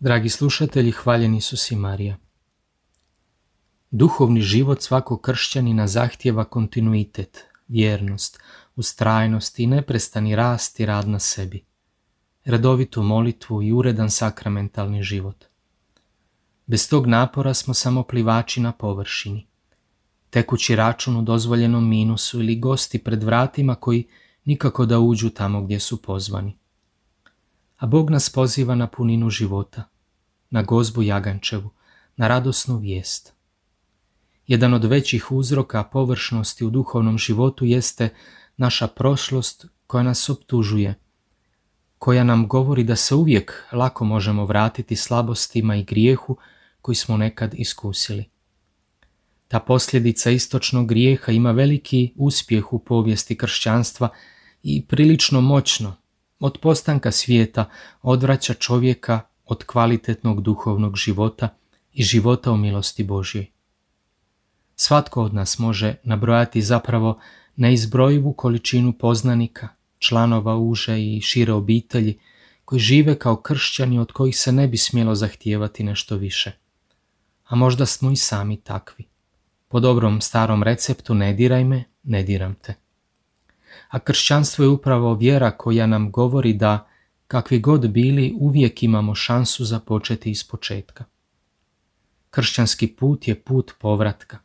Dragi slušatelji, hvaljeni Isus i Marija. Duhovni život svakog kršćanina zahtijeva kontinuitet, vjernost, ustrajnost i neprestani rast i rad na sebi, redovitu molitvu i uredan sakramentalni život. Bez tog napora smo samo plivači na površini, tekući račun u dozvoljenom minusu ili gosti pred vratima koji nikako da uđu tamo gdje su pozvani. A Bog nas poziva na puninu života, na gozbu jagančevu, na radosnu vijest. Jedan od većih uzroka površnosti u duhovnom životu jeste naša prošlost koja nas optužuje, koja nam govori da se uvijek lako možemo vratiti slabostima i grijehu koji smo nekad iskusili. Ta posljedica istočnog grijeha ima veliki uspjeh u povijesti kršćanstva i prilično moćno, od postanka svijeta, odvraća čovjeka od kvalitetnog duhovnog života i života u milosti Božjoj. Svatko od nas može nabrojati zapravo neizbrojivu količinu poznanika, članova uže i šire obitelji koji žive kao kršćani od kojih se ne bi smjelo zahtijevati nešto više. A možda smo i sami takvi. Po dobrom starom receptu ne diraj me, ne diram te. A kršćanstvo je upravo vjera koja nam govori da, kakvi god bili, uvijek imamo šansu započeti ispočetka. Kršćanski put je put povratka,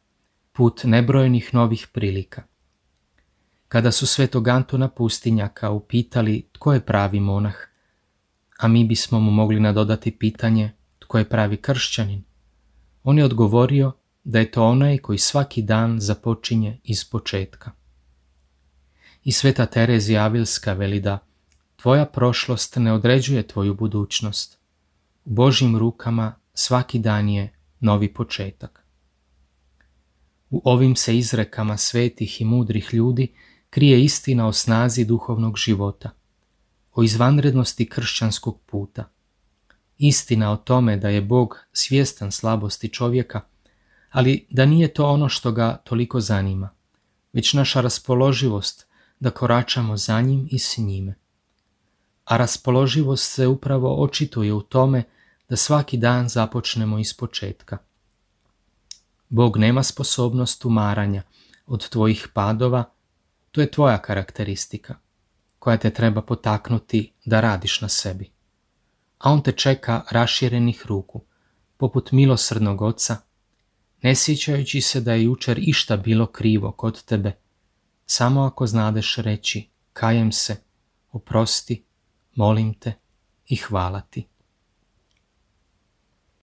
put nebrojenih novih prilika. Kada su svetog Antuna Pustinjaka upitali tko je pravi monah, a mi bismo mu mogli nadodati pitanje tko je pravi kršćanin, on je odgovorio da je to onaj koji svaki dan započinje ispočetka. I sveta Terezija Avilska veli da tvoja prošlost ne određuje tvoju budućnost. U Božjim rukama svaki dan je novi početak. U ovim se izrekama svetih i mudrih ljudi krije istina o snazi duhovnog života, o izvanrednosti kršćanskog puta. Istina o tome da je Bog svjestan slabosti čovjeka, ali da nije to ono što ga toliko zanima, već naša raspoloživost da koračamo za njim i s njime. A raspoloživost se upravo očituje u tome da svaki dan započnemo ispočetka. Bog nema sposobnost umaranja od tvojih padova, to je tvoja karakteristika, koja te treba potaknuti da radiš na sebi. A on te čeka raširenih ruku, poput milosrdnog oca, ne sjećajući se da je jučer išta bilo krivo kod tebe, samo ako znadeš reći kajem se, oprosti, molim te i hvala ti.